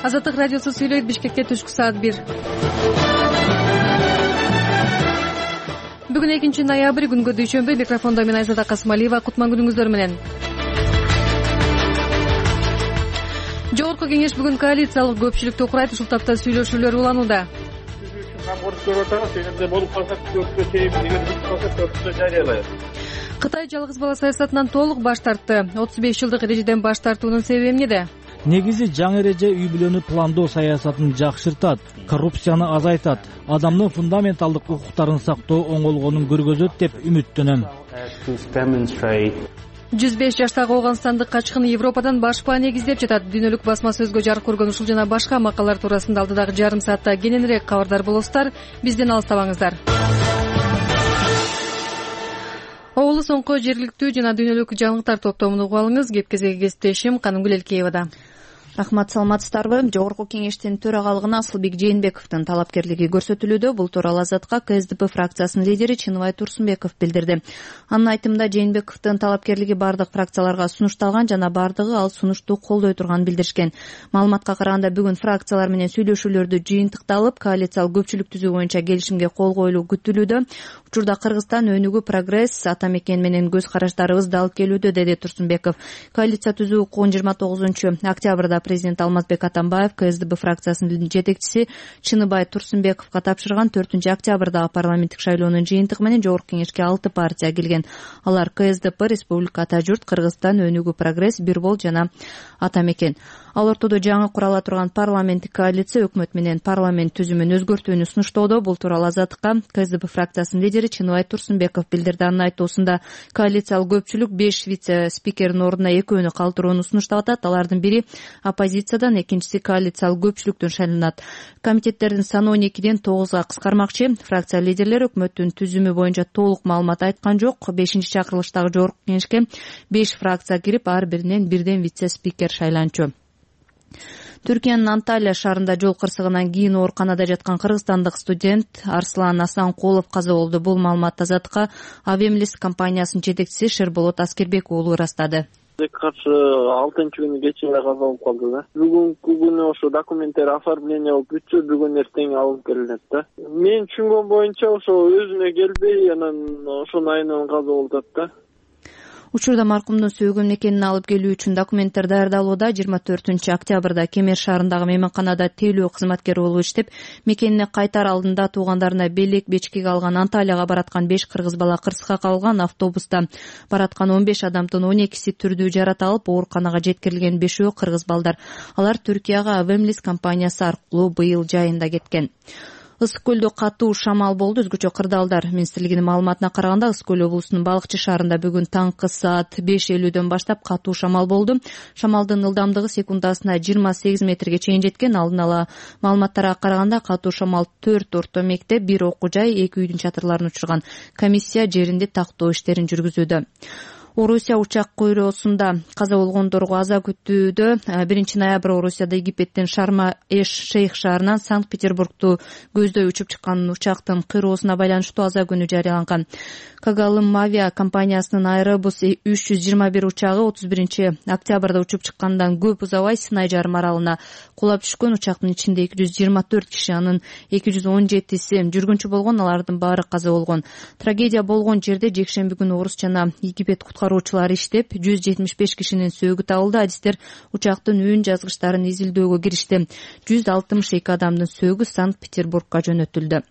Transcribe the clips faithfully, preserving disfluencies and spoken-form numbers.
Азаттык радиосу сүйлөйт. Бишкекте түшкү саат бир. Бүгүн экинчи ноябрь, күнгө дүйшөмбү. Микрофондо мен Айзада Касымалиева. Кутман күнүңүздөр менен. Жогорку кеңеш бүгүн коалициялык көпчүлүктү курайт. Ушул тапта сүйлөшүүлөр уланууда. Камкордук көрүп атабыз. Эгерде болуп калса көпкө чейин, эгер бүтүп калса көпкө жарыялайбыз. Кытай жалгыз бала саясатынан толук баш тартты. отуз беш жылдык эрежеден баш тартуунун себеби эмнеде? Негизи жаңы эреже үй бүлөнү пландоо саясатын жакшыртат, коррупцияны азайтат, адамдын фундаменталдык укуктарын сактоо оңолгонун көргөзөт деп үмүттөнөм. жүз беш жаштагы ооганстандык качкын Европадан башпаа негиздеп жатат. Дүйнөлүк басма сөзгө жарык көргөн ушул жана башка макалалар туурасында алдыдагы жарым саатта кененирээк кабардар болосуздар. Бизден алыстабаңыздар. Оолу соңку жергиликтүү жана дүйнөлүк жаңылыктар топтомун угуп алыңыз. Кепкезеги кесиптешим Канымгүл Элкеевада. Рахмат, саламатсыздарбы? Жогорку кеңештин төрагалыгына Асылбек Жээнбековдун талапкерлиги көрсөтүлүүдө. Бул тууралуу Азатка КСДП фракциясынын лидери Чыныбай Турсунбеков билдирди. Анын айтымында Жээнбековдун талапкерлиги бардык фракцияларга сунушталган жана бардыгы ал сунушту колдой турганын билдиришкен. Маалыматка караганда бүгүн фракциялар менен сүйлөшүүлөрдү жыйынтыкталып, коалициялык көпчүлүк түзүү боюнча келишимге кол коюлуу күтүлүүдө. Учурда Кыргызстан өнүгүү, прогресс, ата мекен менен көз караштарыбызды алып келүүдө, деди Турсунбеков. Коалиция түзүү укугун жыйырма тогузунчу октябрда президент Алмазбек Атамбаев КСДП фракциясынын жетекчиси Чыныбай Турсунбековго тапшырган. Төртүнчү октябрдагы парламенттик шайлоонун жыйынтыгы менен жогорку кеңешке алты партия келген. Алар КСДП, Республика Ата журт, Кыргызстан өнүгүү, прогресс, Бир бол жана Ата мекен. Ал ортодо жаңы курала турган парламенттик коалиция өкмөт менен парламент түзүмүн өзгөртүүнү сунуштоодо. Бул тууралуу Азаттыкка КСДП фракциясынын лидери Чыныбай Турсунбеков билдирди. Анын айтуусунда коалициялык көпчүлүк беш вице-спикердин ордуна экөөнү калтырууну сунуштап атат. Алардын бири оппозициядан, экинчиси коалициялык көпчүлүктөн шайланат. Комитеттердин саны он экиден тогузга кыскармакчы. Фракция лидерлери өкмөттүн түзүмү боюнча толук маалымат айткан жок. бешинчи чакырылыштагы жогорку кеңешке беш фракция кирип, ар биринен бирден вице-спикер шайланчу. Түркиянын Анталия шаарында жол кырсыгынан кийин ооруканада жаткан кыргызстандык студент Арслан Асанкулов каза болду. Бул маалымат Азатка Авемлис компаниясынын жетекчиси Шерболот Аскербек уулу ырастады. Каршы алтынчы күнү кечинде каза болуп калды да. Бүгүнкү күнү ошо документтер оформление болуп бүтсө, бүгүн эртең алып келинет да. Мен түшүнгөн боюнча ошо өзүнө келбей, анан ошонун айынан каза болуп атат да. Учурда маркумдун сөөгөн мекенин алып келүү үчүн документтер даярдалууда. жыйырма төртүнчү октябрда Кемер шаарындагы мейманканада тейлөө кызматкери болуп иштеп, мекенине кайтар алдында туугандарына белек бечкеге алган. Анталияга бараткан беш кыргыз бала кырсыкка кабылган. Автобуста бараткан он беш адамдын он экиси түрдүү жарат алып, ооруканага жеткирилген. Бешөө кыргыз балдар. Алар Түркияга Авемлис компаниясы аркылуу быйыл жайында кеткен. Ысык көлдө катуу шамал болду. Өзгөчө кырдаалдар министрлигинин маалыматына караганда, Ысык көл облусунун Балыкчы шаарында бүгүн таңкы саат беш элүүдөн баштап катуу шамал болду. Шамалдын ылдамдыгы секундасына жыйырма сегиз метрге чейин жеткен. Алдын ала маалыматтарга караганда, катуу шамал төрт орто мектеп, бир окуу жай, эки үйдүн чатырларын учурган. Комиссия жеринде тактоо иштерин жүргүзүүдө. Орусия учак койроосунда каза болгондорго аза күтүүдө. биринчи ноябрь Орусияда Египеттин Шарма эш Шейх шаарынан Санкт-Петербургту көздөй учуп чыккан учактын кыйроосуна байланыштуу аза күнү жарыяланган. Кагалым Авиа компаниясынын Аэробус үч жүз жыйырма бир учагы отуз биринчи октябрда учуп чыккандан көп узабай Сынай жарым аралына кулап түшкөн. Учактын ичинде эки жүз жыйырма төрт киши, анын эки жүз он жетиси жүргүнчү болгон. Алардын баары каза болгон. Трагедия болгон жерде жекшемби күнү Орус жана Египет куткаруучулары иштеп, жүз жетимиш беш кишинин сөөгү табылды. Адистер учактын үн жазгычтарын изилдөөгө киришти. жүз алтымыш эки адамдын сөөгү Санкт-Петербургга жөнөтүлдү.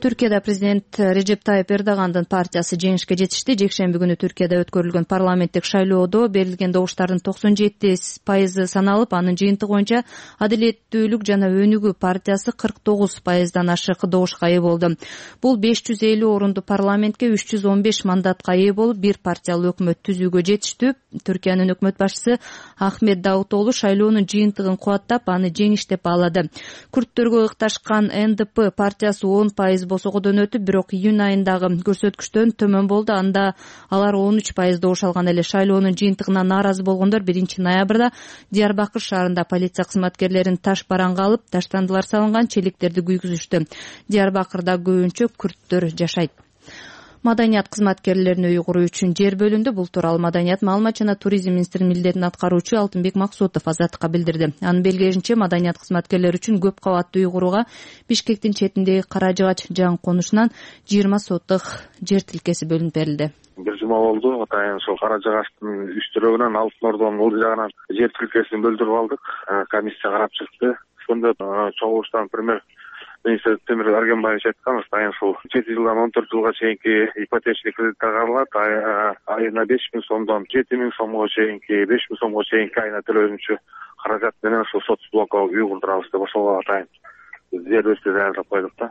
Түркияда президент Режеп Тайып Эрдогандын партиясы жеңишке жетишти. Жекшемби күнү Түркияда өткөрүлгөн парламенттик шайлоодо берилген добуштардын токсон жети пайызы саналып, анын жыйынтыгы боюнча Адилеттүүлүк жана Өнүгүү партиясы кырк тогуз пайыздан ашык добушка ээ болду. Бул беш жүз элүү орунду парламентке үч жүз он беш мандатка ээ болуп, бир партиялуу өкмөт түзүүгө жетиштүү. Түркиянын өкмөт башчысы Ахмет Давутоглу шайлоонун жыйынтыгын кубаттап, аны жеңиш деп баалады. Күрттөргө ыкташкан Н Д П партиясы он пайыз босогодон өтүп, бирок июнь айындагы көрсөткүчтөн төмөн болду. Анда алар он үч пайыз добуш алган эле. Шайлоонун жыйынтыгына нааразы болгондор биринчи ноябрда Диярбакыр шаарында полиция кызматкерлерин таш бараңга алып, таштандылар салынган челектерди күйгүзүштү. Диярбакырда көбүнчө күрттөр жашайт. Маданият кызматкерлерин үй куруу үчүн жер бөлүндү. Бул тууралуу Маданият, маалымат жана туризм министринин милдетин аткаруучу Алтынбек Максутов Азаттыкка билдирди. Анын белгилешинче, маданият кызматкерлери үчүн көп кабаттуу үй курууга Бишкектин четиндеги Кара Жыгач жаңы конушунан жыйырма соттук жер тилкеси бөлүнүп берилди. Бир жума болду. Атайын ошол Кара Жыгачтын үстүрөгүнөн Алтын Ордонун ул жагынан жер тилкесин бөлдүрүп алдык. Комиссия карап чыкты. Ошондо чогулуштан премьер министр Темир Аргенбаевич айткан, атайын ушул жети жылдан он төрт жылга чейинки ипотечный кредиттер каралат. Айына беш миң сомдон жети миң сомго чейинки, беш миң сомго чейинки айына төлөнүүчү каражат менен ушул сот блокко үй курдурабыз деп ошого атайын жер бөлүштү даярдап койдук да.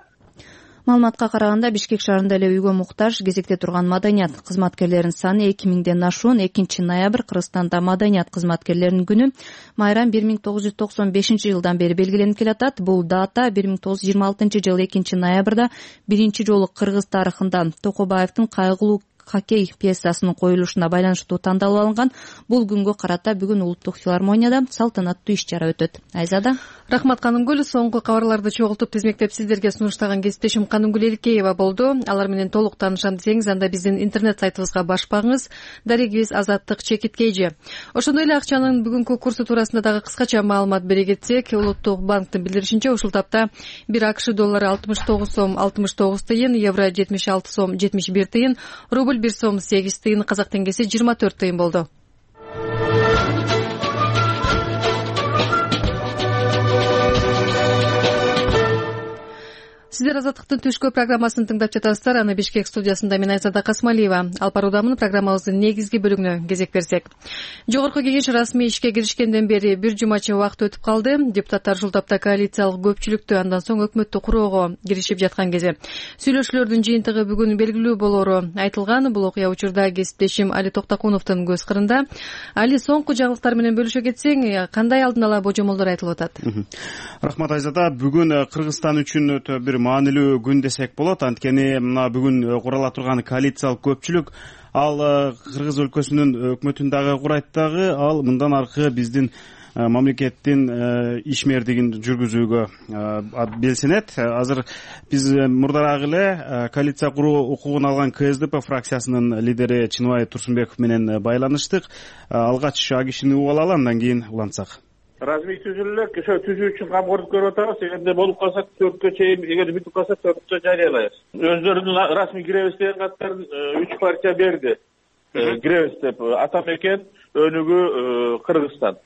Маалыматка караганда, Бишкек шаарында эле үйгө муктаж кезекте турган маданият кызматкерлеринин саны эки миңден ашуун. экинчи ноябрь Кыргызстанда маданият кызматкерлеринин күнү майрам бир миң тогуз жүз токсон бешинчи жылдан бери белгиленип келатат. Бул дата бир миң тогуз жүз жыйырма алтынчы жылы экинчи ноябрда биринчи жолу кыргыз тарыхында Токобаевдин Кайгылуу хоккей пьесасынын коюлушуна байланыштуу тандалып алынган. Бул күнгө карата бүгүн улуттук филармонияда салтанаттуу иш-чара өтөт. Айзада. Рахмат, Канымгүл. Соңку кабарларды чогултуп тизмектеп сиздерге сунуштаган кесиптешим Канымгүл Эликеева болду. Алар менен толук таанышам десеңиз, анда биздин интернет сайтыбызга баш багыңыз. Дарегибиз Азаттык Чекиткейжи. Ошондой эле акчанын бүгүнкү курсу туурасында дагы кыскача маалымат бере кетсек, Улуттук банктын билдиришинче, ушул тапта бир АКШ доллары алтымыш тогуз сом алтымыш тогуз тыйын, евро жетимиш алты сом жетимиш бир тыйын, рубль бир сом сегиз тыйын, казак теңгеси жыйырма төрт тыйын болду. Сиздер Азаттыктын түшкү программасын тыңдап жатасыздар. Аны Бишкек студиясында мен Айзада Касмалиева алып баруудамын. Программабыздын негизги бөлүгүнө кезек берсек. Жогорку кеңеш расмий ишке киришкенден бери бир жумача убакыт өтүп калды. Депутаттар ушул тапта коалициялык көпчүлүктү, андан соң өкмөттү куроого киришип жаткан кезде сүйлөшүүлөрдүн жыйынтыгы бүгүн белгилүү болору айтылган. Бул окуя учурда кесиптешим Али Токтокуновдун көз кырында. Али, соңку жаңылыктар менен бөлүшө кетсең, кандай алдын ала божомолдор айтылып атат? Рахмат, Айзада. Бүгүн Кыргызстан үчүн өтө бир маанилүү күн десек болот. Анткени мына бүгүн курала турган коалициялык көпчүлүк ал Кыргыз өлкөсүнүн өкмөтүн дагы курайт дагы, ал мындан аркы биздин мамлекеттин ишмердигин жүргүзүүгө белсенет. Азыр биз мурдараак эле коалиция куруу укугун алган КСДП фракциясынын лидери Чыныбай Турсунбеков менен байланыштык. Алгач а кишини угуп алалы, андан кийин улантсак. Размий түзүлөлөр ошо түзүү үчүн камкордук көрүп атабыз. Эгерде болуп калса төрткө чейин, эгер бүтүп калса төрткө жарыялайбыз. Өздөрүнүн расмий киребиз деген каттарын үч партия берди. Киребиз деп Атамекен, Өнүгүү, Кыргызстан.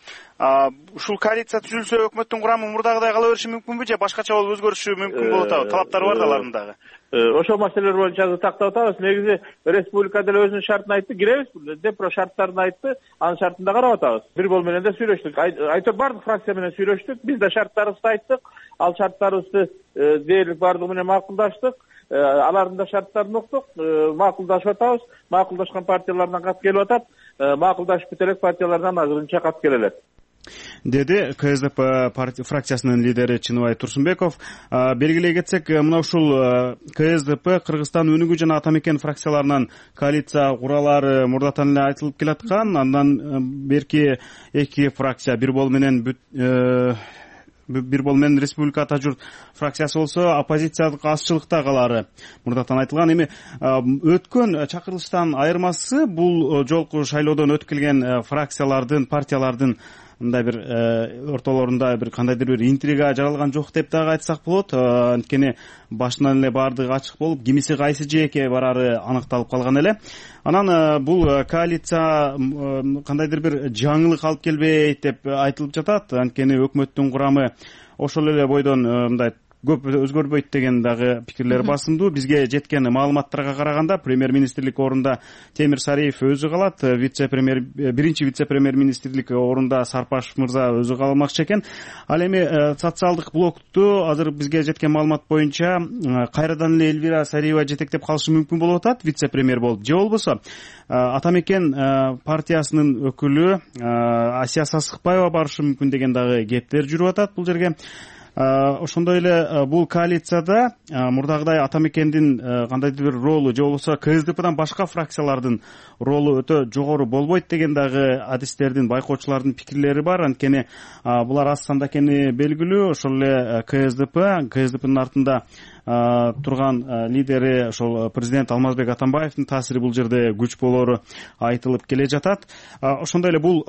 Ушул коалиция түзүлсө өкмөттүн курамы мурдагыдай кала бериши мүмкүнбү же башкача болуп өзгөрүшү мүмкүн болуп атабы? Талаптары бар да алардын дагы. Ошол маселелер боюнча тактап атабыз. Негизи республика деле өзүнүн шартын айтты, киребиз деп шарттарын айтты. Анын шартында карап атабыз. Бир бол менен да сүйлөштүк. Айтор бардык фракция менен сүйлөштүк. Биз да шарттарыбызды айттык. Ал шарттарыбызды дээрлик бардыгы менен макулдаштык. Алардын да шарттарын уктук, макулдашып атабыз. Макулдашкан партиялардан кат келип атат. Макулдашып бүт элек партиялардан азырынча кат келелер, деди КСДП фракциясынын лидери Чыныбай Турсунбеков. Белгилей кетсек, мына ушул КСДП, Кыргызстан Өнүгүү жана Атамекен фракцияларынан коалиция куралары мурдатан эле айтылып келаткан. Андан берки эки фракция, бир бол менен бир бол менен Республика Ата журт фракциясы болсо оппозициялык азчылыкта калары мурдатан айтылган. Эми өткөн чакырылыштан айырмасы бул жолку шайлоодон өтүп келген фракциялардын, партиялардын мындай бир ортолорунда бир кандайдыр бир интрига жаралган жок деп дагы айтсак болот. Анткени башынан эле баардыгы ачык болуп, кимиси кайсы жээкке барары аныкталып калган эле. Анан бул коалиция кандайдыр бир жаңылык алып келбейт деп айтылып жатат. Анткени өкмөттүн курамы ошол эле бойдон мындай көп өзгөрбөйт деген дагы пикирлер басымдуу. Бизге жеткен маалыматтарга караганда премьер-министрлик орунда Темир Сариев өзү калат, вице-премьер биринчи вице-премьер министрлик орунда Сарпашев мырза өзү калмакчы экен. Ал эми социалдык блокту азыр бизге жеткен маалымат боюнча кайрадан эле Эльвира Сариева жетектеп калышы мүмкүн болуп атат, вице-премьер болуп. Же болбосо Атамекен партиясынын өкүлү Асия Сасыкбаева барышы мүмкүн деген дагы кептер жүрүп атат бул жерге. ошондой эле бул коалицияда мурдагыдай ата мекендин кандайдыр бир ролу же болбосо КСДПдан башка фракциялардын ролу өтө жогору болбойт деген дагы адистердин, байкоочулардын пикирлери бар. Анткени булар аз санда экени белгилүү. Ошол эле КСДП КСДПнын артында турган лидери ошол президент Алмазбек Атамбаевдин таасири бул жерде күч болоору айтылып келе жатат. Ошондой эле бул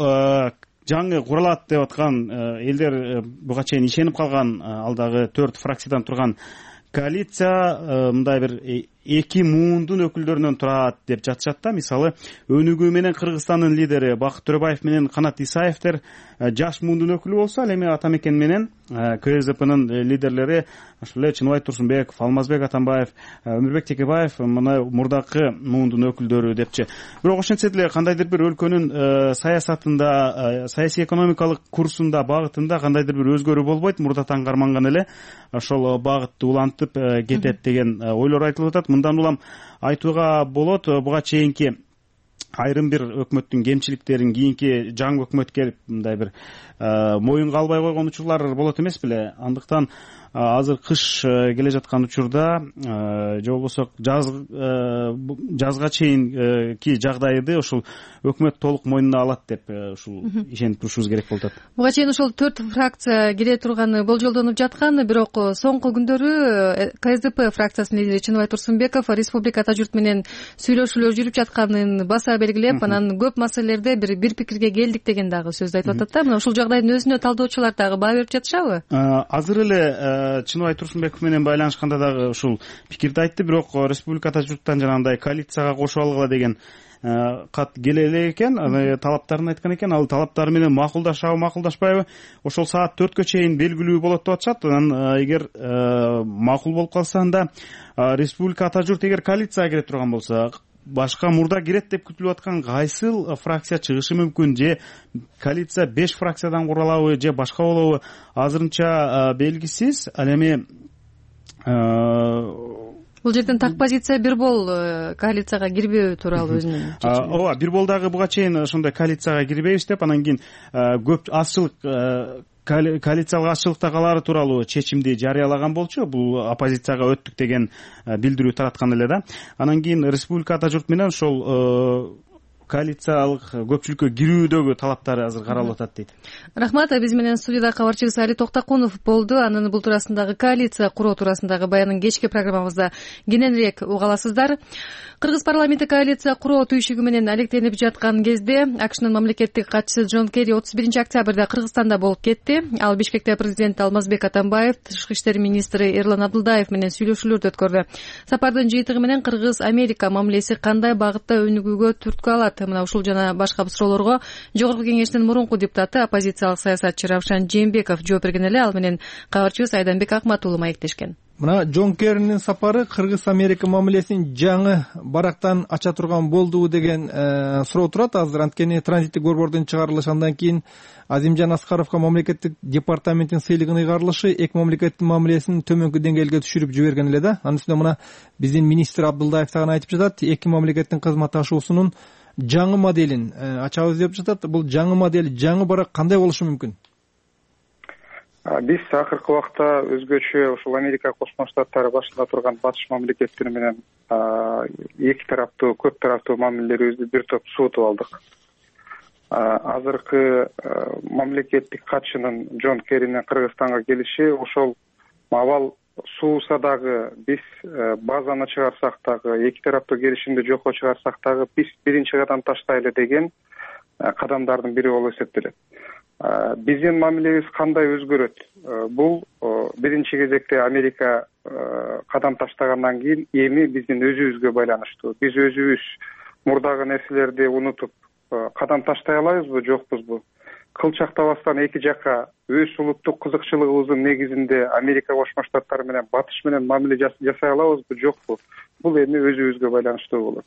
жаңы куралат деп аткан элдер буга чейин ишенип калган ал дагы төрт фракциядан турган коалиция мындай бир эки муундун өкүлдөрүнөн турат деп жатышат да. Мисалы Өнүгүү менен Кыргызстандын лидери Бакыт Төрөбаев менен Канат Исаевдер жаш муундун өкүлү болсо, ал эми ата мекен менен КСДПнын лидерлери ошол эле Чыныбай Турсунбеков, Алмазбек Атамбаев, Өмүрбек Текебаев мына мурдакы муундун өкүлдөрү депчи. Бирок ошентсе деле кандайдыр бир өлкөнүн саясатында, саясий экономикалык курсунда, багытында кандайдыр бир өзгөрүү болбойт. Мурдатан карманган эле ошол багытты улантып кетет деген ойлор айтылып атат. Мындан улам айтууга болот, буга чейинки айрым бир өкмөттүн кемчиликтерин кийинки жаңы өкмөт келип мындай бир моюнга албай койгон учурлар болот эмес беле. Андыктан азыр кыш келе жаткан учурда же болбосо жаз жазга чейинки жагдайды ошол өкмөт толук мойнуна алат деп ушул ишенип турушубуз керек болуп атат. Буга чейин ошол төрт фракция кире турганы болжолдонуп жаткан, бирок соңку күндөрү КСДП фракциясынын лидери Чыныбай Турсунбеков республика ата журт менен сүйлөшүүлөр жүрүп жатканын баса белгилеп, анан көп маселелерде бир бир пикирге келдик деген дагы сөздү айтып атат да. Мына ушул жагдайдын өзүнө талдоочулар дагы баа берип жатышабы? Азыр эле Чыныбай Турсунбеков менен байланышканда дагы ушул пикирди айтты, бирок республика ата журттан жанагындай коалицияга кошуп алгыла деген кат келе элек экен, талаптарын айткан экен. Ал талаптары менен макулдашабы, макулдашпайбы ошол саат төрткө чейин белгилүү болот деп атышат. Анан эгер макул болуп калса, анда республика ата журт эгер коалицияга кире турган болсо, башка мурда кирет деп күтүлүп аткан кайсыл фракция чыгышы мүмкүн? Же коалиция беш фракциядан куралабы же башка болобу? Азырынча белгисиз. Ал эми бул жерден так позиция бир бол коалицияга кирбөө тууралуу өзүнүн чечими. Ооба, бир бол дагы буга чейин ошондой коалицияга кирбейбиз деп, анан кийин көп азчылык коалициялык азчылыкта калаары тууралуу чечимди жарыялаган болчу. Бул оппозицияга өттүк деген билдирүү тараткан эле да. Анан кийин республика ата журт менен ошол коалициялык көпчүлүккө кирүүдөгү талаптары азыр каралып атат дейт. Рахмат. Биз менен студияда кабарчыбыз Али Токтокунов болду. Анын бул туурасындагы коалиция куруу туурасындагы баянын кечки программабызда кененирээк уга аласыздар. Кыргыз парламенти коалиция куруу түйшүгү менен алектенип жаткан кезде АКШнын мамлекеттик катчысы Джон Керри отуз биринчи октябрда Кыргызстанда болуп кетти. Ал Бишкекте президент Алмазбек Атамбаев, тышкы иштер министри Эрлан Абдылдаев менен сүйлөшүүлөрдү өткөрдү. Сапардын жыйынтыгы менен Кыргыз-Америка мамилеси кандай багытта өнүгүүгө түрткү алат? Мына ушул жана башка суроолорго Жогорку Кеңештин мурунку депутаты, оппозициялык саясатчы Равшан Жээнбеков жооп берген эле. Ал менен кабарчыбыз Айданбек Акмат уулу маектешкен. Мына Джон Керринин сапары Кыргыз-Америка мамилесин жаңы барактан ача турган болдубу деген суроо турат азыр. Анткени транзиттик борбордун чыгарылышы, андан кийин Азимжан Аскаровго мамлекеттик департаменттин сыйлыгын ыйгарылышы эки мамлекеттин мамилесин төмөнкү деңгээлге түшүрүп жиберген эле да. Анын үстүнө мына биздин министр Абдылдаев дагы айтып жатат, эки мамлекеттин кызматташуусунун жаңы моделин ачабыз деп жатат. Бул жаңы модель, жаңы барак кандай болушу мүмкүн? Биз акыркы убакта өзгөчө ушул Америка Кошмо Штаттары башында турган батыш мамлекеттери менен эки тараптуу, көп тараптуу мамилелерибизди бир топ суутуп алдык. Азыркы мамлекеттик катчынын Джон Керринин Кыргызстанга келиши ошол абал сууса дагы, биз базаны чыгарсак дагы, эки тараптуу келишимди жокко чыгарсак дагы биз биринчи кадам таштайлы деген кадамдардын бири болуп эсептелет. Биздин мамилебиз кандай өзгөрөт? Бул биринчи кезекте Америка кадам таштагандан кийин эми биздин өзүбүзгө байланыштуу. Биз өзүбүз мурдагы нерселерди унутуп кадам таштай алабызбы, жокпузбу? Кылчактабастан эки жакка өз улуттук кызыкчылыгыбыздын негизинде Америка Кошмо Штаттары менен батыш менен мамиле жасай алабызбы, жокпу? Бул эми өзүбүзгө байланыштуу болот.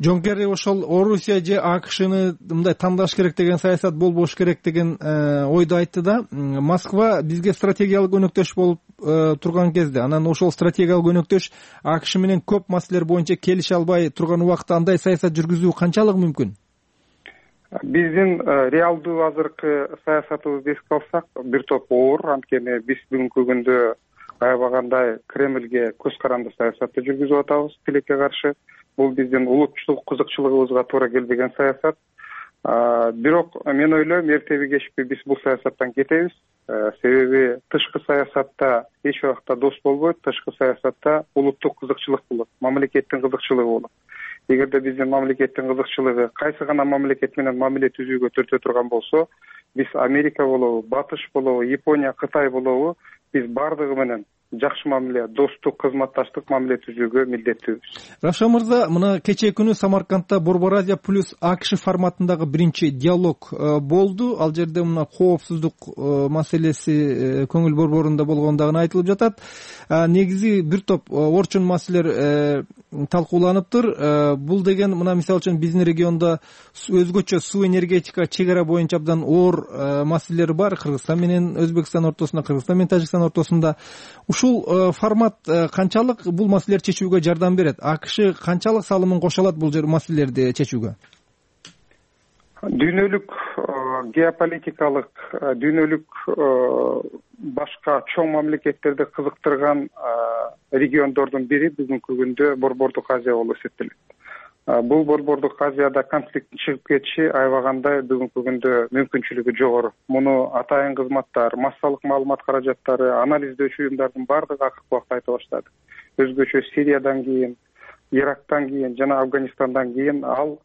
Джон Керри ошол Орусия же АКШны мындай тандаш керек деген саясат болбош керек деген ойду айтты да. Москва бизге стратегиялык өнөктөш болуп турган кезде, анан ошол стратегиялык өнөктөш АКШ менен көп маселелер боюнча келише албай турган убакта андай саясат жүргүзүү канчалык мүмкүн? Биздин реалдуу азыркы саясатыбызды эске алсак, бир топ оор. Анткени биз бүгүнкү күндө аябагандай Кремльге көз каранды саясатты жүргүзүп атабыз тилекке каршы. Бул биздин улутчулук кызыкчылыгыбызга туура келбеген саясат. Бирок мен ойлойм, эртеби кечпи биз бул саясаттан кетебиз. Себеби тышкы саясатта эч убакта дос болбойт, тышкы саясатта улуттук кызыкчылык болот, мамлекеттин кызыкчылыгы болот. Эгерде биздин мамлекеттин кызыкчылыгы кайсы гана мамлекет менен мамиле түзүүгө төртө турган болсо, биз Америка болобу, Батыш болобу, Япония, Кытай болобу, биз бардыгы менен жакшы мамиле, достук, кызматташтык мамиле түзүүгө милдеттүүбүз. Равшан мырза, мына кечээ күнү Самаркандта Борбор Азия плюс АКШ форматындагы биринчи диалог болду. Ал жерде мына коопсуздук маселеси көңүл борборунда болгону дагы айтылып жатат. Негизи бир топ орчун маселелер талкууланыптыр. Бул деген мына мисалы үчүн биздин региондо өзгөчө суу энергетика чек ара боюнча абдан оор маселелер бар. Кыргызстан менен Өзбекстан ортосунда, Кыргызстан менен Тажикстан ортосунда. Ушул формат канчалык бул маселелерди чечүүгө жардам берет? АКШ канчалык салымын кошо алат бул маселелерди чечүүгө? Дүйнөлүк геополитикалык, дүйнөлүк башка чоң мамлекеттерди кызыктырган региондордун бири бүгүнкү күндө Борбордук Азия болуп эсептелет. Бул Борбордук Азияда конфликт чыгып кетиши аябагандай бүгүнкү күндө мүмкүнчүлүгү жогору. Муну атайын кызматтар, массалык маалымат каражаттары, анализдөөчү уюмдардын бардыгы акыркы убакта айта баштады. Өзгөчө Сириядан кийин, Ирактан кийин жана Афганистандан кийин ал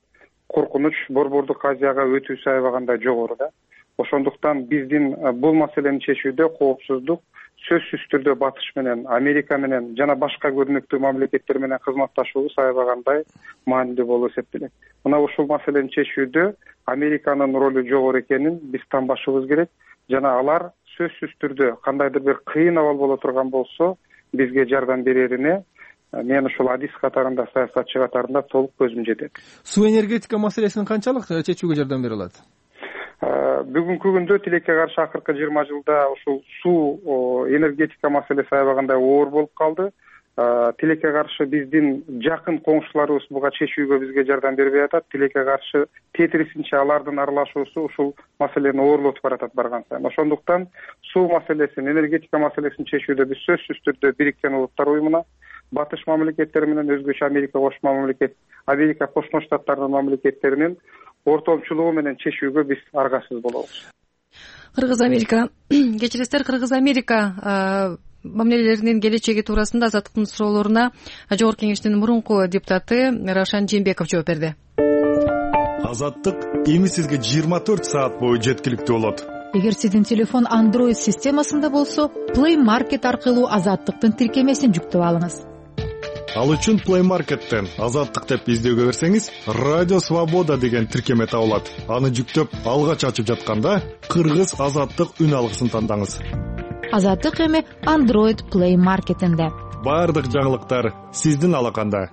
коркунуч Борбордук Азияга өтүүсү аябагандай жогору да. Ошондуктан биздин бул маселени чечүүдө коопсуздук сөзсүз түрдө Батыш менен, Америка менен жана башка көрүнүктүү мамлекеттер менен кызматташуубуз аябагандай маанилүү болуп эсептелет. Мына ушул маселени чечүүдө Американын ролу жогору экенин биз танбашыбыз керек жана алар сөзсүз түрдө кандайдыр бир кыйын абал боло турган болсо бизге жардам берерине мен ушул адис катарында, саясатчы катарында толук көзүм жетет. Суу энергетика маселесин канчалык чечүүгө жардам бере алат? Бүгүнкү күндө тилекке каршы акыркы жыйырма жылда ушул суу энергетика маселеси аябагандай оор болуп калды. Тилекке каршы биздин жакын коңшуларыбыз буга чечүүгө бизге жардам бербей атат. Тилекке каршы тетирисинче алардын аралашуусу ушул маселени оорлотуп баратат барган сайын. Ошондуктан суу маселесин, энергетика маселесин чечүүдө биз сөзсүз түрдө Бириккен Улуттар уюмуна, Батыш мамлекеттери менен өзгөчө Америка кошмо мамлекет, Америка кошмо штаттарынын мамлекеттеринин ортомчулугу менен чечүүгө биз аргасыз болобуз. Кыргыз Америка кечиресиздер, Кыргыз Америка мамилелеринин келечеги туурасында Азаттыктын суроолоруна Жогорку Кеңештин мурунку депутаты Равшан Жээнбеков жооп берди. Азаттык эми сизге жыйырма төрт саат бою жеткиликтүү болот. Эгер сиздин телефон Android системасында болсо, Play Market аркылуу Азаттыктын тиркемесин жүктөп алыңыз. Ал үчүн Play Market'тен Азаттык деп издөөгө берсеңиз, Радио Свобода деген тиркеме табылат. Аны жүктөп, алгач ачып жатканда Кыргыз Азаттык үн алгысын тандаңыз. Азаттык эми Android Play Market'инде. Бардык жаңылыктар сиздин алаканда.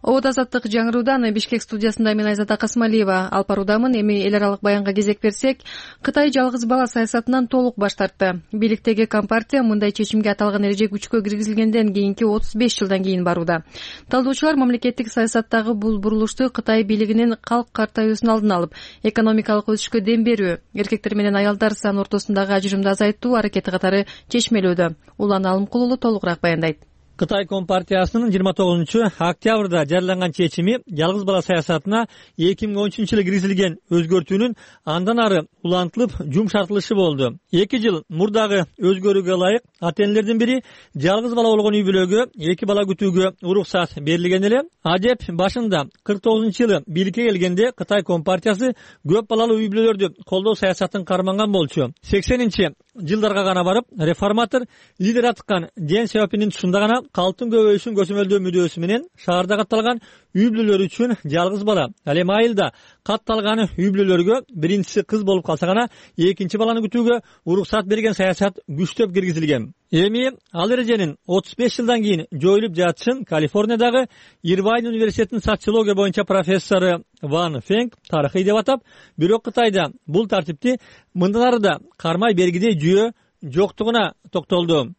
Обод Азаттык жаңыруудан Бишкек студиясында мен Айзада Касмалиева алып баруудамын. Эми эл аралык баянга кезек берсек, Кытай жалгыз бала саясатынан толук баш тартты. Бийликтеги Компартия мындай чечимге аталган эреже күчкө киргизилгенден кийинки отуз беш жылдан кийин барууда. Талдоочулар мамлекеттик саясаттагы бул бурулушту Кытай бийлигинин калк картаюусунун алдын алып, экономикалык өсүшкө дем берүү, эркектер менен аялдар саны ортосундагы ажырымды азайтуу аракети катары чечмелөөдө. Улан Алымкулулу толугураак баяндайт. Кытай Компартиясынын жыйырма тогузунчу октябрда жарыяланган чечими жалгыз бала саясатына эки миң он үчүнчү жылы киргизилген өзгөртүүнүн андан ары улантылып жумшартылышы болду. эки жыл мурдагы өзгөрүүгө ылайык ата-энелердин бири жалгыз бала болгон үй бүлөгө эки бала күтүүгө уруксат берилген эле. Адеп башында кырк тогузунчу жылы бийликке келгенде Кытай Компартиясы көп балалуу үй бүлөлөрдү колдоо саясатын карманган болчу. сексенинчи жылдарга гана барып, реформатор лидер аткан Дэн Сяопиндин тушунда гана калктын көбөйүшүн көзөмөлдөө мүдөөсү менен шаарда катталган үй бүлөлөр үчүн жалгыз бала, ал эми айылда катталган үй бүлөлөргө биринчиси кыз болуп калса гана экинчи баланы күтүүгө уруксат берген саясат күчтөп киргизилген. Эми ал эреженин отуз беш жылдан кийин жоюлуп жатышын Калифорниядагы Ирвайн университетинин социология боюнча профессору Ван Фенг тарыхый деп атап, бирок Кытайда бул тартипти мындан ары да кармай бергидей жүйө жоктугуна токтолду.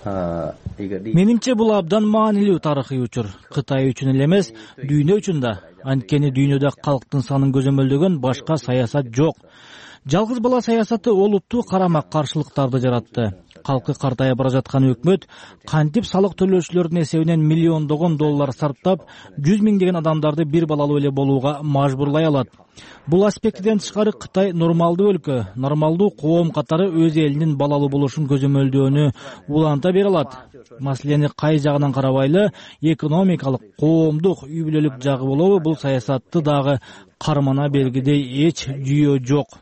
Менимче бул абдан маанилүү тарыхый учур. Кытай үчүн эле эмес, дүйнө үчүн да. Анткени дүйнөдө калктын санын көзөмөлдөгөн башка саясат жок. Жалгыз бала саясаты олуттуу карама каршылыктарды жаратты. Калкы картайып бара жаткан өкмөт кантип салык төлөөчүлөрдүн эсебинен миллиондогон доллар сарптап, жүз миңдеген адамдарды бир балалуу эле болууга мажбурлай алат. Бул аспектиден тышкары Кытай нормалдуу өлкө, нормалдуу коом катары өз элинин балалуу болушун көзөмөлдөөнү уланта бере алат. Маселени кай жагынан карабайлы, экономикалык, коомдук, үй бүлөлүк жагы болобу, бул саясатты дагы кармана бергидей эч жүйө жок.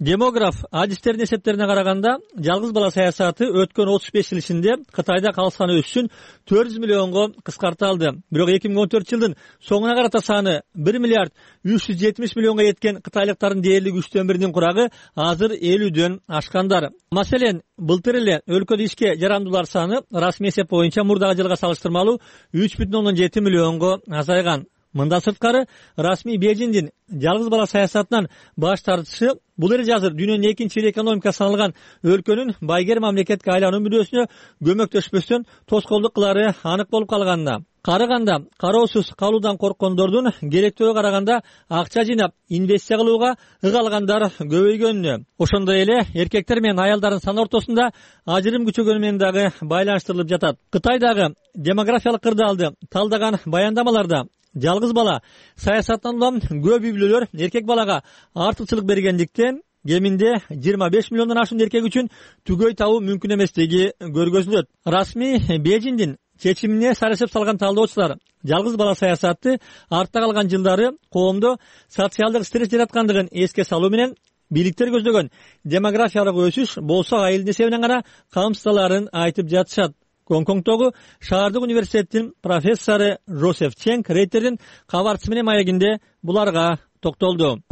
Демограф адистердин эсептерине караганда, жалгыз бала саясаты өткөн отуз беш жыл ичинде Кытайда калк саны өсүшүн төрт жүз миллионго кыскарталды. Бирок эки миң он төртүнчү жылдын соңуна карата саны бир миллиард үч жүз жетимиш миллионго жеткен кытайлыктардын дээрлик үчтөн биринин курагы азыр элүүдөн ашкандар. Маселен, былтыр эле өлкөдө ишке жарамдуулар саны расмий эсеп боюнча мурдагы жылга салыштырмалуу үч бүтүн ондон жети миллионго азайган. Мындан сырткары, расмий Бейжиңдин жалгыз бала саясатынан баш тартышы бул эреже азыр дүйнөнүн экинчи эл экономика саналган өлкөнүн байгер мамлекетке айлануу мүдөөсүнө көмөктөшпөстөн тоскоолдук кылары анык болуп калганына. Карыганда кароосуз калуудан корккондордун керектөөгө караганда акча жыйнап инвестиция кылууга ыгалгандар көбөйгөнүнө, ошондой эле эркектер менен аялдардын саны ортосунда ажырым күчөгөнү менен дагы байланыштырылып жатат. Кытайдагы демографиялык кырдаалды талдаган баяндамаларда жалгыз бала саясаттан улам көп үй бүлөлөр эркек балага артыкчылык бергендиктен кеминде жыйырма беш миллиондон ашуун эркек үчүн түгөй табуу мүмкүн эместиги көргөзүлөт. Расмий Бейжиңдин чечимине сарысып салган талдоочулар жалгыз бала саясаты артта калган жылдары коомдо социалдык стресс жараткандыгын эске салуу менен бийликтер көздөгөн демографиялык өсүш болсо айылдын эсебинен гана камсыздаларын айтып жатышат. Гонконгдогу шаардык университеттин профессору Жозеф Ченг рейтердин кабарчысы менен маегинде буларга токтолду.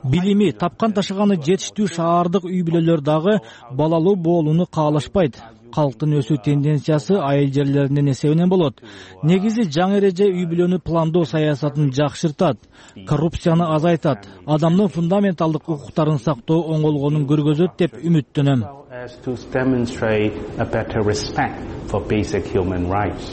Билими, тапкан ташыганы жетиштүү шаардык үй бүлөлөр дагы балалуу болууну каалашпайт. Калктын өсүү тенденциясы айыл жерлеринин эсебинен болот. Негизи жаңы эреже үй бүлөнү пландоо саясатын жакшыртат, коррупцияны азайтат, адамдын фундаменталдык укуктарын сактоо оңолгонун көргөзөт деп үмүттөнөм.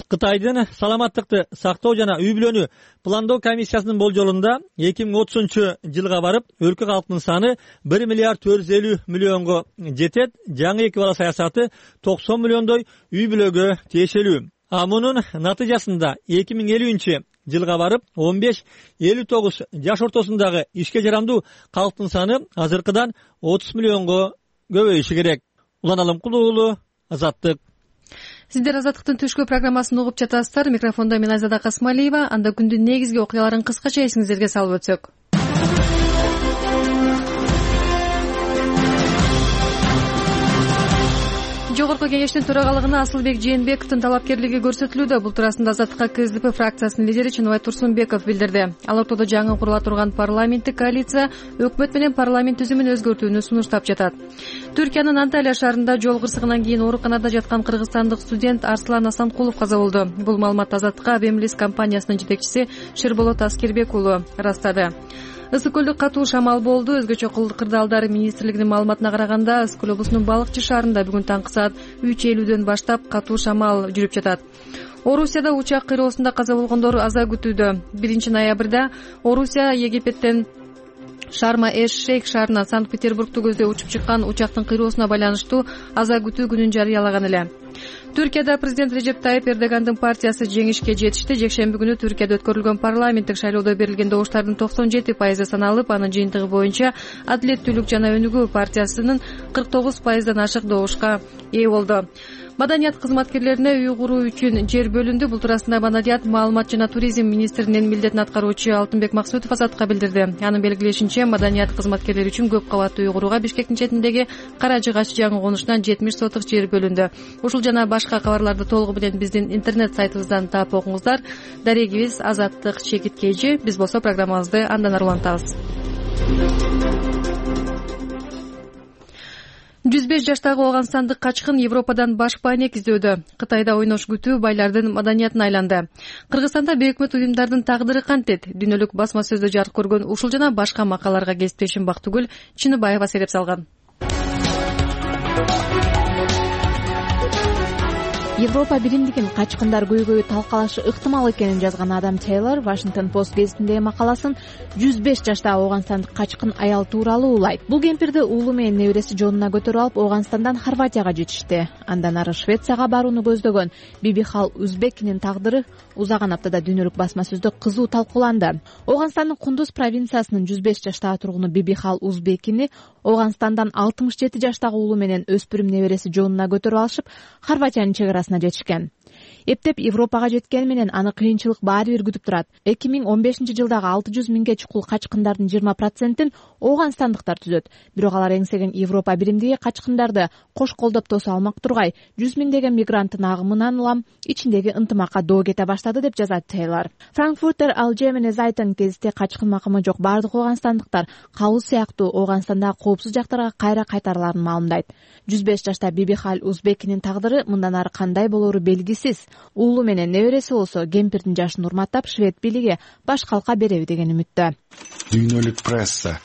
Кытайдын саламаттыкты сактоо жана үй бүлөнү пландоо комиссиясынын болжолунда эки миң отузунчу жылга барып өлкө калктын саны бир миллиард төрт жүз элүү миллионго жетет. Жаңы эки бала саясаты токсон миллиондой үй бүлөгө тиешелүү. А мунун натыйжасында эки миң элүүнчү жылга барып он беш элүү тогуз жаш ортосундагы ишке жарамдуу калктын саны азыркыдан отуз миллионго көбөйүшү керек. Улан Алымкулуу уулу, Азаттык. Сиздер Азаттыктын түшкү программасын угуп жатасыздар. Микрофондо мен Айзада Касмалиева. Анда күндүн негизги окуяларын кыскача эсиңиздерге салып өтсөк. Жогорку кеңештин төрагалыгына Асылбек Жээнбековдун талапкерлиги көрсөтүлүүдө. Бул туурасында Азаттыкка КСДП фракциясынын лидери Чыныбай Турсунбеков билдирди. Ал ортодо жаңы курула турган парламенттик коалиция өкмөт менен парламент түзүмүн өзгөртүүнү сунуштап жатат. Түркиянын Анталия шаарында жол кырсыгынан кийин ооруканада жаткан кыргызстандык студент Арслан Асанкулов каза болду. Бул маалыматты Азаттыкка Бемлис компаниясынын жетекчиси Шерболот Аскербек уулу ырастады. Ысык көлдө катуу шамал болду. Өзгөчө кырдаалдар министрлигинин маалыматына караганда, Ысык көл облусунун Балыкчы шаарында бүгүн таңкы саат үч элүүдөн баштап катуу шамал жүрүп жатат. Орусияда учак кыйроосунда каза болгондор аза күтүүдө. биринчи ноябрда Орусия Египеттен Шарма-эш-Шейх шаарынан Санкт-Петербургду көздөй учуп чыккан учактын кыйроосуна байланыштуу аза күтүү күнүн жарыялаган эле. Түркияда президент Режеп Тайып Эрдогандын партиясы жеңишке жетишти. Жекшемби күнү Түркияда өткөрүлгөн парламенттик шайлоодо берилген добуштардын токсон жети пайызы саналып, анын жыйынтыгы боюнча Адилеттүүлүк жана өнүгүү партиясынын кырк тогуз пайыздан ашык добушка ээ болду. Маданият кызматкерлерине үй куруу үчүн жер бөлүндү. Бул туурасында Маданият, маалымат жана туризм министринин милдетин аткаруучу Алтынбек Максутов Азаттыкка билдирди. Анын белгилешинче, Маданият кызматкерлери үчүн көп кабаттуу үй курууга Бишкектин четиндеги Кара Жыгач жаңы конушунан жетимиш соток жер бөлүндү. Ушул жана башка кабарларды толугу менен биздин интернет сайтыбыздан таап окуңуздар. Дарегибиз Азаттык Чекит Кейжи. Биз болсо программабызды андан ары улантабыз. жүз беш жаштагы ооганстандык качкын Европадан баш пайнек издөөдө. Кытайда ойнош күтүү байлардын маданиятына айланды. Кыргызстанда бейөкмөт уюмдардын тагдыры кантет? Дүйнөлүк басма сөздө жарык көргөн ушул жана башка макалаларга кесиптешим Бактыгүл Чыныбаева сереп салган. Европа биримдигин качкындар көйгөйү талкалашы ыктымал экенин жазган Адам Тейлор Washington Post гезитиндеги макаласын жүз беш жаштагы ооганстандык качкын аял тууралуу улайт. Бул кемпирди уулу менен небереси жонуна көтөрүп алып Ооганстандан Хорватияга жетишти. Андан ары Швецияга барууну көздөгөн Бибихал Узбекинин тагдыры узаган аптада дүйнөлүк басма сөздө кызуу талкууланды. Ооганстандын Кундуз провинциясынын жүз беш жаштагы тургуну Бибихал Узбекини Ооганстандан алтымыш жети жаштагы уулу менен өспүрүм небереси жонуна көтөрүп алышып Хорватиянын чек арасына жетишкен. Эптеп Европага жеткени менен аны кыйынчылык баары бир күтүп турат. эки миң он бешинчи жылдагы алты жүз миңге чукул качкындардын жыйырма процентин ооганстандыктар түзөт. Бирок алар эңсеген Европа биримдиги качкындарды кош колдоп тосо алмак тургай жүз миңдеген мигранттын агымынан улам ичиндеги ынтымакка доо кете баштады деп жазат Тейлор. Frankfurter Allgemeine Zeitung гезити качкын макымы жок бардык ооганстандыктар кабыл сыяктуу Ооганстандагы коопсуз жактарга кайра кайтарыларын маалымдайт. жүз беш жаштагы Бибихал Узбекинин тагдыры мындан ары кандай болору белгисиз. Уулу менен небереси болсо кемпирдин жашын урматтап швед бийлиги баш калка береби деген үмүттө. Дүйнөлүк пресса.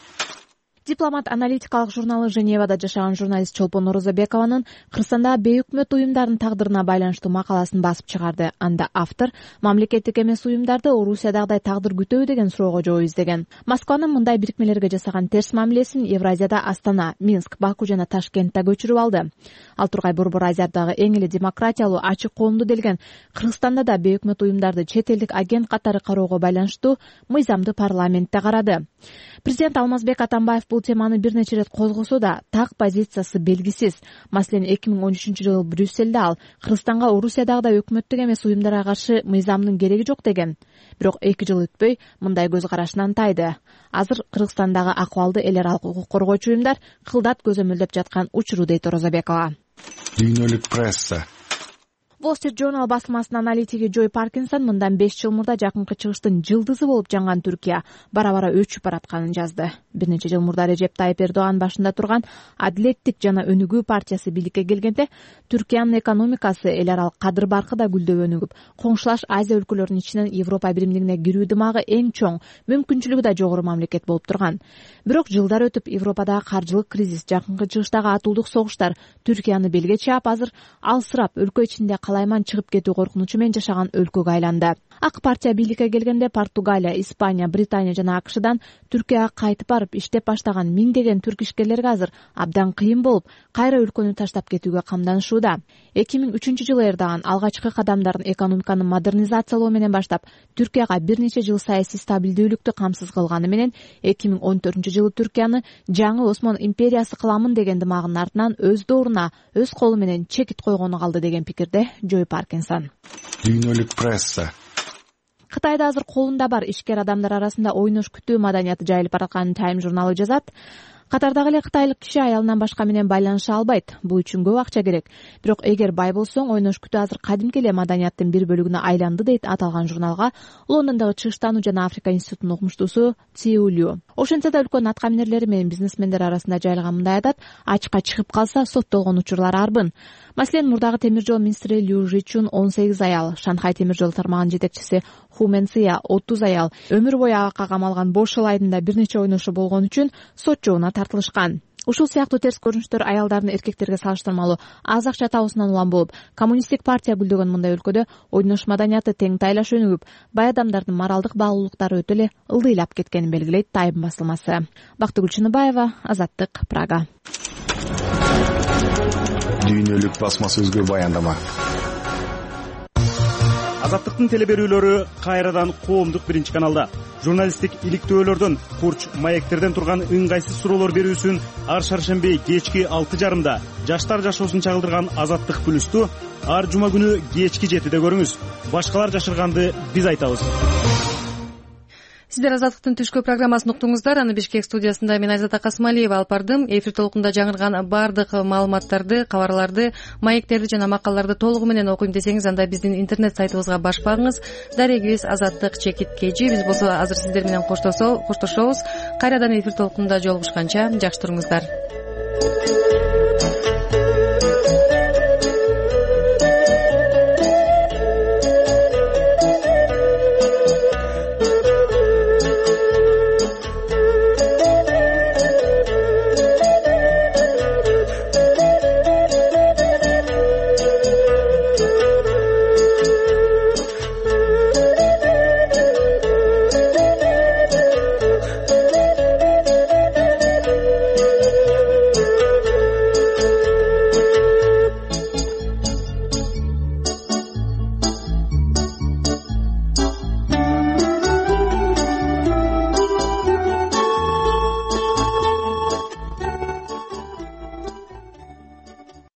Дипломат аналитикалык журналы Женевада жашаган журналист Чолпон Орозобекованын Кыргызстандагы бейөкмөт уюмдардын тагдырына байланыштуу макаласын басып чыгарды. Анда автор мамлекеттик эмес уюмдарды Орусиядагыдай тагдыр күтөбү деген суроого жооп издеген. Москванын мындай бирикмелерге жасаган терс мамилесин Евразияда Астана, Минск, Баку жана Ташкентте көчүрүп алды. Ал тургай Борбор Азиядагы эң эле демократиялуу ачык коомду делген Кыргызстанда да бейөкмөт уюмдарды чет элдик агент катары кароого байланыштуу мыйзамды парламентте карады. Президент Алмазбек Атамбаев бул теманы бир нече ирет козгосо да так позициясы белгисиз. Маселен, эки миң он үчүнчү жылы Брюссельде ал Кыргызстанга Орусиядагыдай өкмөттүк эмес уюмдарга каршы мыйзамдын кереги жок деген. Бирок эки жыл өтпөй мындай көз карашынан тайды. Азыр Кыргызстандагы акыбалды эл аралык укук коргоочу уюмдар кылдат көзөмөлдөп жаткан учуру дейт Орозобекова. Дүйнөлүк пресса. Wall Street Journal басылмасынын аналитиги Джой Паркинсон мындан беш жыл мурда жакынкы чыгыштын жылдызы болуп жанган Түркия бара-бара өчүп баратканын жазды. Бир нече жыл мурда Режеп Тайып Эрдоган башында турган Адилеттик жана Өнүгүү партиясы бийликке келгенде Түркиянын экономикасы эл аралык кадыр баркы да гүлдөп өнүгүп, коңшулаш Азия өлкөлөрүнүн ичинен Европа биримдигине кирүү дымагы эң чоң, мүмкүнчүлүгү да жогору мамлекет болуп турган. Бирок жылдар өтүп Европадагы каржылык кризис, жакынкы чыгыштагы атуулдук согуштар Түркияны белге чаап, азыр алсырап өлкө ичинде калайман чыгып кетүү коркунучу менен жашаган өлкөгө айланды. Ак партия бийликке келгенде Португалия, Испания, Британия жана АКШдан Түркияга кайтып барып иштеп баштаган миңдеген түрк ишкерлерге азыр абдан кыйын болуп, кайра өлкөнү таштап кетүүгө камданышууда. эки миң үчүнчү жылы Эрдоган алгачкы кадамдарын экономиканы модернизациялоо менен баштап, Түркияга бир нече жыл саясий стабилдүүлүктү камсыз кылганы менен эки миң он төртүнчү жылы Түркияны жаңы Осман империясы кыламын деген дымагынын артынан өз дооруна, өз колу менен чекит койгону калды деген пикирде Джой Паркинсон. Дүйнөлүк пресса. Кытайда азыр колунда бар ишкер адамдар арасында ойнош күтүү маданияты жайылып баратканын Time журналы жазат. Катардагы эле кытайлык киши аялынан башка менен байланыша албайт. Бул үчүн көп акча керек. Бирок эгер бай болсоң, ойнош күтүү азыр кадимки эле маданияттын бир бөлүгүнө айланды дейт аталган журналга Лондондогу Чыгыштануу жана Африка институтунун окумуштуусу Циу Лю. Ошентсе да өлкөнүн аткаминерлери менен бизнесмендер арасында жайылган мындай адат ачка чыгып калса соттолгон учурлар арбын. Маселен, мурдагы темир жол министри Лю Жичун он сегиз аял, Шанхай темир жол тармагынын жетекчиси Ху Менция отуз аял өмүр бою агакка камалган бош эл айдында бир нече ойношу болгон үчүн сот жообуна тартылышкан. Ушул сыяктуу терс көрүнүштөр аялдардын эркектерге салыштырмалуу аз акча табуусунан улам болуп, коммунисттик партия гүлдөгөн мындай өлкөдө ойнош маданияты тең тайлаш өнүгүп, бай адамдардын моралдык баалуулуктары өтө эле ылдыйлап кеткенин белгилейт Time басылмасы. Бактыгүл Чыныбаева, Азаттык, Прага. Дүйнөлүк басма сөзгө баяндама. Азаттыктын телеберүүлөрү кайрадан коомдук биринчи каналда. Журналисттик иликтөөлөрдөн, курч маектерден турган ыңгайсыз суроолор берүүсүн ар шаршемби кечки алты жарымда жаштар жашоосун чагылдырган Азаттык плюсту ар жума күнү кечки жетиде көрүңүз. Башкалар жашырганды биз айтабыз. Сиздер Азаттыктын түшкү программасын уктуңуздар. Аны Бишкек студиясында мен Айзада Касмалиева алып бардым. Эфир толкунда жаңырган бардык маалыматтарды, кабарларды, маектерди жана макалаларды толугу менен окуйм десеңиз, анда биздин интернет сайтыбызга баш багыңыз. Дарегибиз Азаттык чекит кежи. Биз болсо азыр сиздер менен коштошобуз. Кайрадан эфир толкунда жолугушканча жакшы туруңуздар.